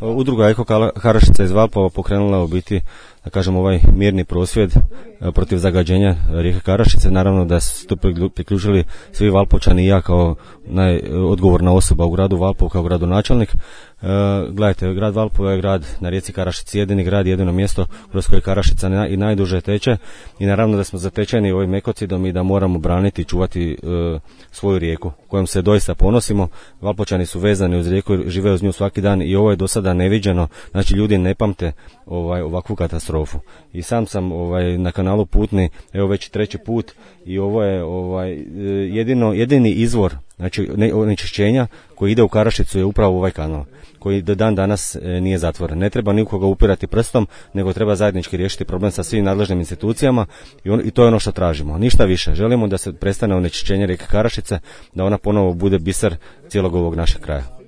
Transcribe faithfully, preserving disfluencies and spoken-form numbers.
Udruga Eko Karašica iz Valpova pokrenula u biti, da kažem, ovaj mirni prosvjed protiv zagađenja rijeke Karašice. Naravno da su to priključili svi Valpovčani i ja kao najodgovorna osoba u gradu Valpovu, kao gradonačelnik. Uh, gledajte, grad Valpovo je grad na rijeci Karašici, jedini grad, jedino mjesto kroz koje Karašica na, i najduže teče i naravno da smo zatečeni ovim ekocidom i da moramo braniti i čuvati uh, svoju rijeku kojom se doista ponosimo. Valpovčani su vezani uz rijeku, žive uz nju svaki dan i ovo je do sada neviđeno, znači ljudi ne pamte ovaj, ovakvu katastrofu. I sam sam ovaj, na kanalu Putni, evo već treći put i ovo je ovaj, jedino, jedini izvor znači onečišćenja koji ide u Karašicu je upravo ovaj kanal koji do dan danas e, nije zatvoren. Ne treba nikoga upirati prstom, nego treba zajednički riješiti problem sa svim nadležnim institucijama i, on, i to je ono što tražimo. Ništa više. Želimo da se prestane onečišćenje rijeke Karašice, da ona ponovo bude biser cijelog ovog našeg kraja.